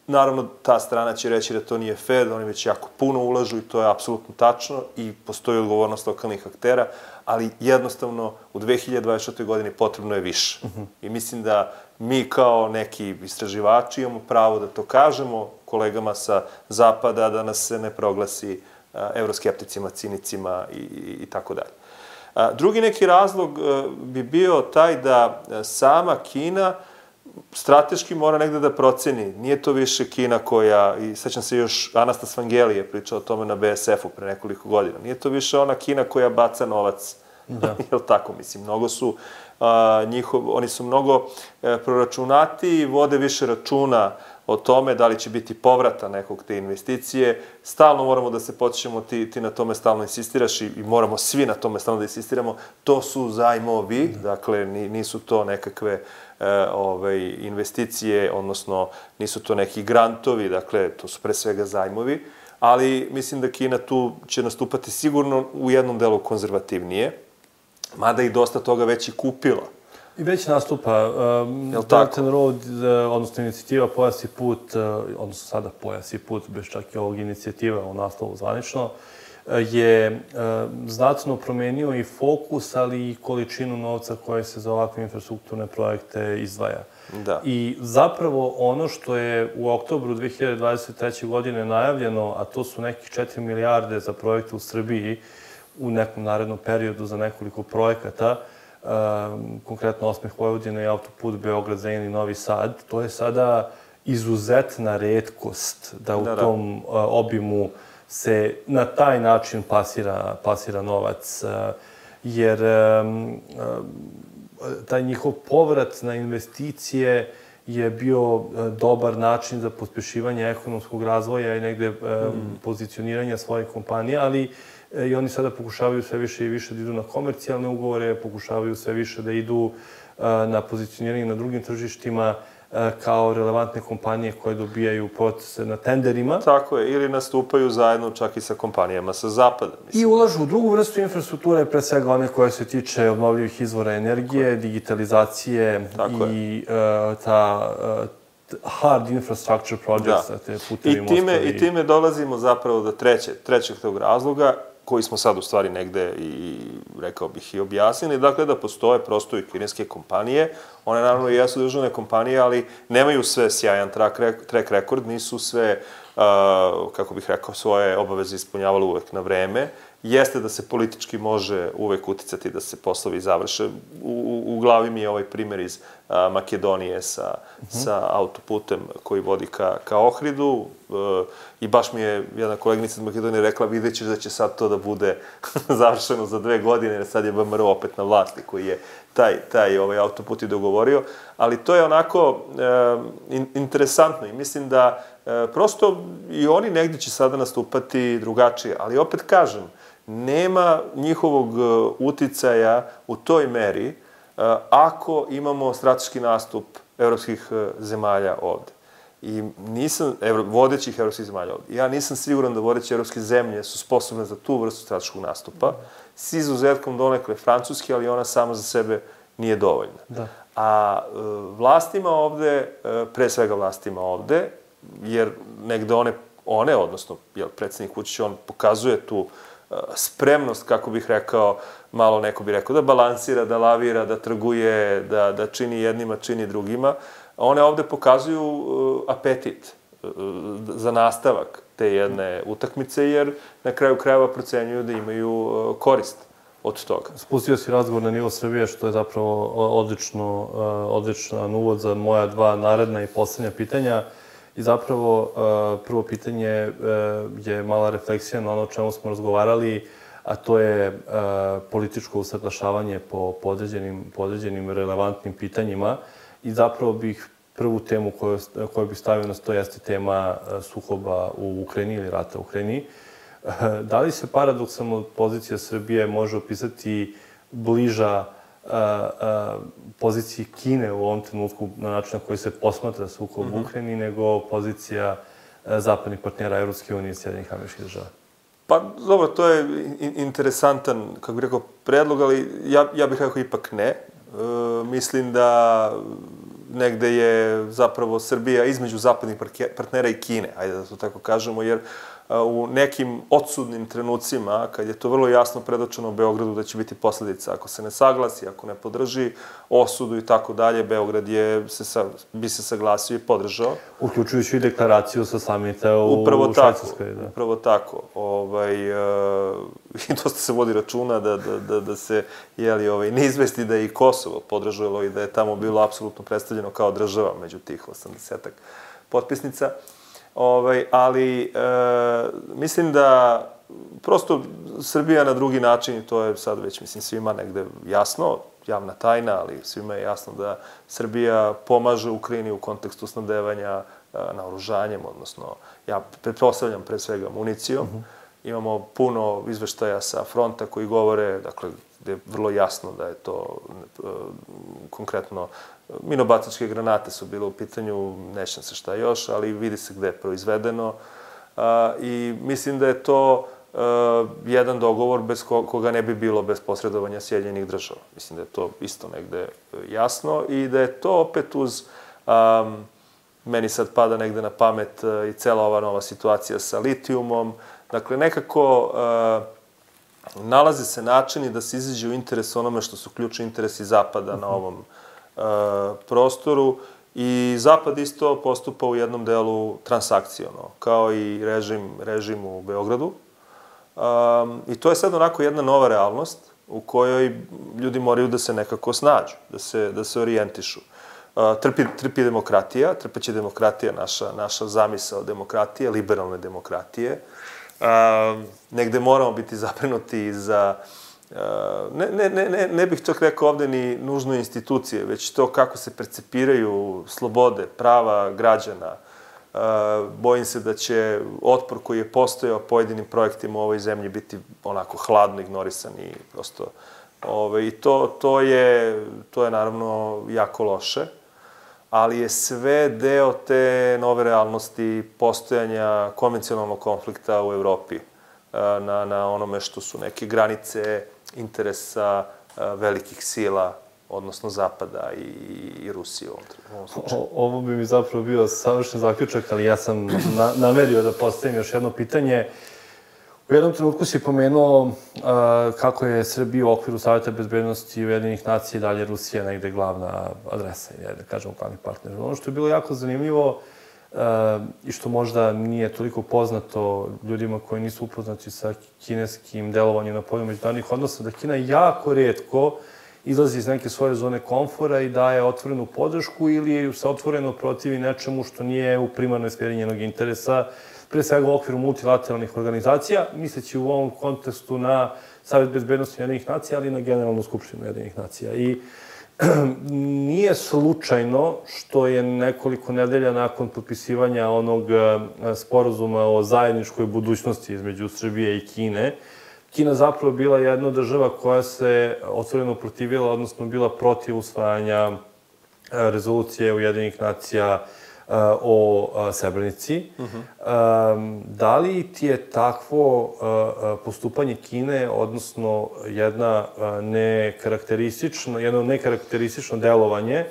naravno ta strana će reći da to nije fair, da oni već jako puno ulažu i to je apsolutno tačno i postoji odgovornost lokalnih aktera, ali jednostavno u 2024. godini potrebno je više. I mislim da mi kao neki istraživači imamo pravo da to kažemo kolegama sa Zapada, da nas se ne proglasi evroskepticima, cinicima i tako dalje. Drugi neki razlog bi bio taj da sama Kina strateški mora negde da proceni. Nije to više Kina koja, i sećam se još Anastas Vangeli je pričao o tome na BSF-u pre nekoliko godina, nije to više ona Kina koja baca novac. Jel tako, mislim, mnogo su oni su mnogo proračunati, vode više računa o tome da li će biti povrata nekog te investicije. Stalno moramo da se podsjećamo, ti na tome stalno insistiraš i moramo svi na tome stalno da insistiramo. To su zajmovi, dakle, nisu to nekakve investicije, odnosno nisu to neki grantovi, dakle, to su pre svega zajmovi, ali mislim da Kina tu će nastupati sigurno u jednom delu konzervativnije, mada i dosta toga već i kupila. I već nastupa Belt and Road, odnosno inicijativa Pojas i put, odnosno sada Pojas i put, bez čak i ovog inicijativa u naslovu zvanično, je znatno promenio i fokus, ali i količinu novca koje se za ovakve infrastrukturne projekte izdvaja. I zapravo ono što je u oktobru 2023. godine najavljeno, a to su nekih 4 milijarde za projekte u Srbiji u nekom narednom periodu za nekoliko projekata, konkretno Osmeh Vojvodine i autoput Beograd-Zrenjanin i Novi Sad, to je sada izuzetna retkost da u tom obimu se na taj način plasira novac, jer taj njihov povrat na investicije je bio dobar način za pospešivanje ekonomskog razvoja i negde pozicioniranja svojih kompanija, ali i oni sada pokušavaju sve više i više da idu na komercijalne ugovore, pokušavaju sve više da idu na pozicioniranje na drugim tržištima kao relevantne kompanije koje dobijaju procese na tenderima. Tako je, ili nastupaju zajedno čak i sa kompanijama sa Zapada. I ulažu u drugu vrstu infrastrukture, pre svega one koje se tiče obnovljivih izvora energije, digitalizacije i ta hard infrastructure projects, te putevi, mostovi. I time dolazimo zapravo do trećeg tog razloga, koji smo sad u stvari negde i, rekao bih, i objasnili. Dakle, da postoje prosto i kineske kompanije. One naravno jesu državne kompanije, ali nemaju sve sjajan track record, nisu sve, kako bih rekao, svoje obaveze ispunjavali uvek na vreme. Jeste da se politički može uvek uticati da se poslovi završe. U glavi mi je ovaj primjer iz Makedonije sa autoputem koji vodi ka Ohridu. I baš mi je jedna koleginica iz Makedonije rekla, vidjet ćeš da će sad to da bude završeno za 2 godine, jer sad je BMR opet na vlasti, koji je taj autoput i dogovorio, ali to je onako interesantno i mislim da prosto i oni negdje će sada nastupati drugačije, ali opet kažem, nema njihovog uticaja u toj meri ako imamo strateški nastup evropskih zemalja ovde. I vodećih evropskih zemalja ovde. Ja nisam siguran da vodeće evropske zemlje su sposobne za tu vrstu strateškog nastupa, s izuzetkom donekle Francuske, ali ona sama za sebe nije dovoljna. Da. A vlastima ovde, pre svega vlastima ovde, jer negde odnosno predsjednik Vučić, on pokazuje tu spremnost, kako bih rekao, malo neko bi rekao, da balansira, da lavira, da trguje, da čini jednima, čini drugima. One ovde pokazuju apetit za nastavak te jedne utakmice, jer na kraju krajeva procenjuju da imaju korist od toga. Spustio si razgovor na nivo Srbije, što je zapravo odličan uvod za moja dva naredna i poslednja pitanja. I zapravo prvo pitanje je mala refleksija na ono o čemu smo razgovarali, a to je političko usaglašavanje po podređenim relevantnim pitanjima. I zapravo bih prvu temu koju bih stavio na sto jeste tema sukoba u Ukrajini ili rata u Ukrajini. Da li se paradoksalno pozicija Srbije može opisati bliža poziciji Kine u ovom trenutku na način na koji se posmatra sukob u Ukrajini nego pozicija zapadnih partnera Evropske unije i Sjedinjenih Američkih Država? Pa, dobro, to je interesantan, kako bih rekao, predlog, ali ja bih rekao ipak ne. Mislim da negde je zapravo Srbija između zapadnih partnera i Kine, ajde da to tako kažemo, jer u nekim odsudnim trenucima, kad je to vrlo jasno predočeno Beogradu da će biti posledica, ako se ne saglasi, ako ne podrži osudu i tako dalje, Beograd bi se saglasio i podržao. Uključujući i deklaraciju sa samita u Švajcarskoj. Upravo tako. I dosta se vodi računa da se ne izvesti da je i Kosovo podržalo i da je tamo bilo apsolutno predstavljeno kao država među tih 80-ak potpisnica. Ali mislim da prosto Srbija na drugi način, i to je sad već svima negde jasno, javna tajna, ali svima je jasno da Srbija pomaže Ukrajini u kontekstu snabdevanja naoružanjem, odnosno ja pretpostavljam pre svega municijom. Imamo puno izveštaja sa fronta koji govore, dakle, gde je vrlo jasno da je to konkretno minobacačke granate su bile u pitanju, nećem se šta još, ali vidi se gde je proizvedeno i mislim da je to jedan dogovor bez koga ne bi bilo bez posredovanja Sjedinjenih Država. Mislim da je to isto negde jasno i da je to opet uz, meni sad pada negde na pamet i cela ova nova situacija sa litijumom. Dakle, nekako nalaze se načini da se izađe u interes onome što su ključni interesi Zapada na ovom prostoru i Zapad isto postupa u jednom delu transakciono, kao i režim u Beogradu. I to je sad onako jedna nova realnost u kojoj ljudi moraju da se nekako snađu, da se orijentišu. Trpi demokratija, trpeće demokratija, naša zamisao demokratije, liberalne demokratije. Negde moramo biti zabrinuti i za ne bih čak rekao ovde ni nužno institucije, već to kako se percepiraju slobode, prava građana. Bojim se da će otpor koji je postojao pojedinim projektima u ovoj zemlji biti onako hladno ignorisan i prosto... I to je naravno jako loše, ali je sve deo te nove realnosti postojanja konvencionalnog konflikta u Evropi na onome što su neke granice interesa velikih sila, odnosno Zapada i Rusije u ovom slučaju. Ovo bi mi zapravo bio savršen zaključak, ali ja sam namerio da postavim još jedno pitanje. U jednom trenutku si pomenuo kako je Srbija u okviru Saveta bezbednosti Ujedinjenih nacija i dalje Rusija negde glavna adresa, da kažemo glavni partner. Ono što je bilo jako zanimljivo i što možda nije toliko poznato ljudima koji nisu upoznati sa kineskim delovanjem na polju međunarodnih odnosa, da Kina jako retko izlazi iz neke svoje zone komfora i daje otvorenu podršku ili se otvoreno protivi nečemu što nije u primarnoj sferi njenog interesa, pre svega u okviru multilateralnih organizacija, misleći u ovom kontekstu na Savet bezbednosti Ujedinjenih nacija, ali i na Generalnu skupštinu Ujedinjenih nacija. I nije slučajno što je nekoliko nedelja nakon potpisivanja onog sporazuma o zajedničkoj budućnosti između Srbije i Kine, Kina zapravo bila jedna država koja se otvoreno protivila, odnosno bila protiv usvajanja rezolucije Ujedinjenih nacija o Srebrenici. Da li ti je takvo postupanje Kine, odnosno jedno nekarakteristično delovanje,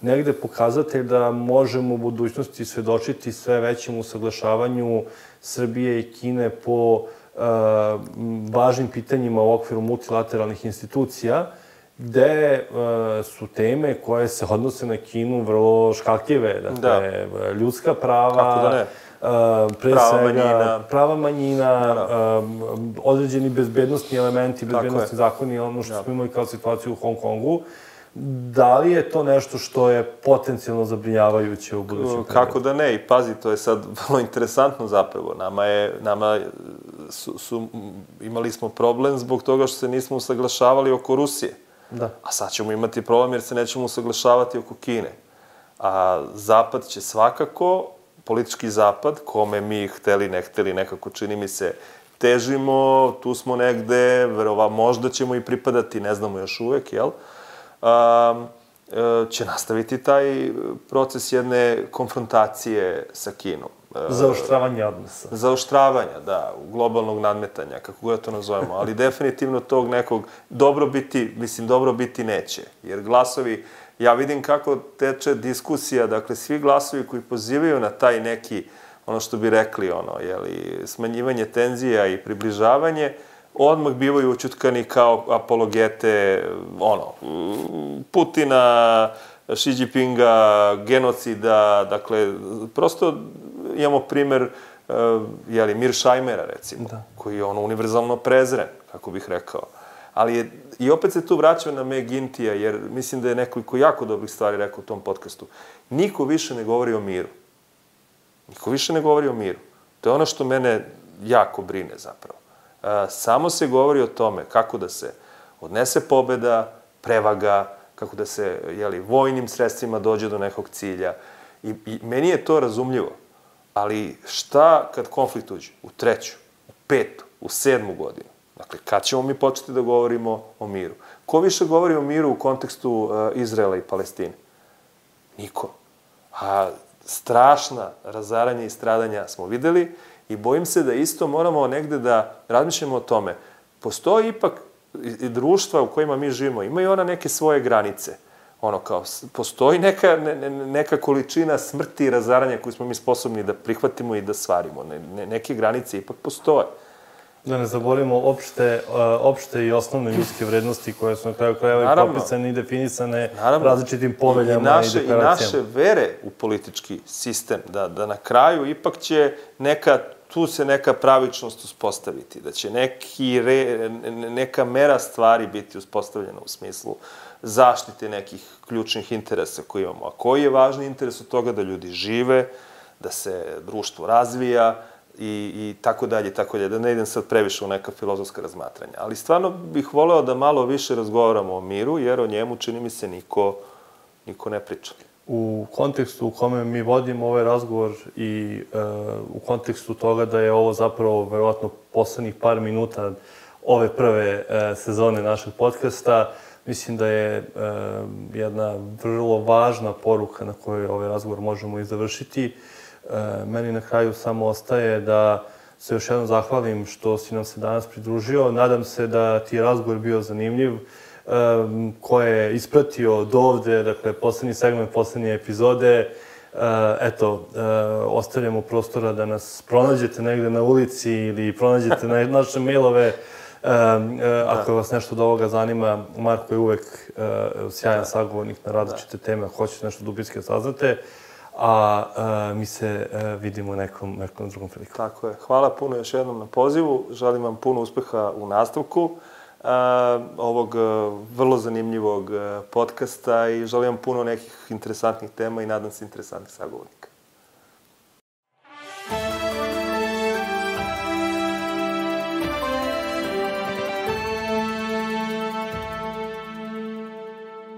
negde pokazatelj da možemo u budućnosti svedočiti sve većem usaglašavanju Srbije i Kine po važnim pitanjima u okviru multilateralnih institucija, gde su teme koje se odnose na Kinu vrlo škakljive. Dakle, ljudska prava, pre svega prava manjina, određeni bezbednostni elementi, bezbednostni zakoni, ono što smo imali kao situaciju u Hong Kongu. Da li je to nešto što je potencijalno zabrinjavajuće u budućem periodu? Kako da ne, i pazi, to je sad vrlo interesantno zapravo. Imali smo problem zbog toga što se nismo usaglašavali oko Rusije. Da. A sad ćemo imati problem jer se nećemo usaglašavati oko Kine. A Zapad će svakako, politički Zapad, kome mi hteli, ne hteli, nekako čini mi se, težimo, tu smo negde, možda ćemo i pripadati, ne znamo još uvek, jel? Će nastaviti taj proces jedne konfrontacije sa Kinom. Zaoštravanja odnosa. Zaoštravanja, da, globalnog nadmetanja, kako god to nazovemo, ali definitivno tog nekog dobrobiti neće. Jer glasovi, ja vidim kako teče diskusija, dakle, svi glasovi koji pozivaju na taj neki, ono što bi rekli, smanjivanje tenzija i približavanje, odmah bivaju ućutkani kao apologete, Putina, Xi Jinpinga, genocida, dakle, prosto imamo primer Miršajmera, recimo, koji je univerzalno prezren, kako bih rekao. Ali i opet se tu vraćam na McGuinty-a, jer mislim da je nekoliko jako dobrih stvari rekao u tom podcastu. Niko više ne govori o miru. Niko više ne govori o miru. To je ono što mene jako brine, zapravo. Samo se govori o tome kako da se odnese pobeda, prevaga, kako da se vojnim sredstvima dođe do nekog cilja. I meni je to razumljivo. Ali šta kad konflikt uđe? U 3., u 5., u 7. godinu? Dakle, kad ćemo mi početi da govorimo o miru? Ko više govori o miru u kontekstu Izraela i Palestine? Niko. A strašna razaranja i stradanja smo videli i bojim se da isto moramo negde da razmišljamo o tome. Postoji ipak i društva u kojima mi živimo, imaju ona neke svoje granice. Postoji neka količina smrti i razaranja koju smo mi sposobni da prihvatimo i da svarimo. Neke granice ipak postoje. Da ne zaboravimo opšte i osnovne ljudske vrednosti koje su na kraju krajeva i propisane i definisane različitim poveljama i deklaracijama. I naše vere u politički sistem, da na kraju ipak će tu se neka pravičnost uspostaviti, da će neka mera stvari biti uspostavljena u smislu zaštite nekih ključnih interesa koje imamo. A koji je važni interes od toga? Da ljudi žive, da se društvo razvija i tako dalje, tako dalje. Da ne idem sad previše u neka filozofska razmatranja. Ali stvarno bih voleo da malo više razgovaramo o miru, jer o njemu, čini mi se, niko ne priča. U kontekstu u kome mi vodimo ovaj razgovor i u kontekstu toga da je ovo zapravo verovatno poslednjih par minuta ove prve sezone našeg podcasta, mislim da je jedna vrlo važna poruka na kojoj ovaj razgovor možemo i završiti. Meni na kraju samo ostaje da se još jednom zahvalim što si nam se danas pridružio. Nadam se da ti je razgovor bio zanimljiv, ko je ispratio do ovde, dakle, poslednji segment, poslednje epizode. Ostavljamo prostora da nas pronađete negde na ulici ili pronađete na naše mailove. Ako vas nešto od ovoga zanima, Marko je uvek sjajan sagovornik na različite teme, ako hoćete nešto dubinski saznate, a mi se vidimo nekom drugom prilikom. Tako je. Hvala puno još jednom na pozivu. Želim vam puno uspeha u nastavku ovog vrlo zanimljivog podcasta i želim vam puno nekih interesantnih tema i nadam se interesantnih sagovornika.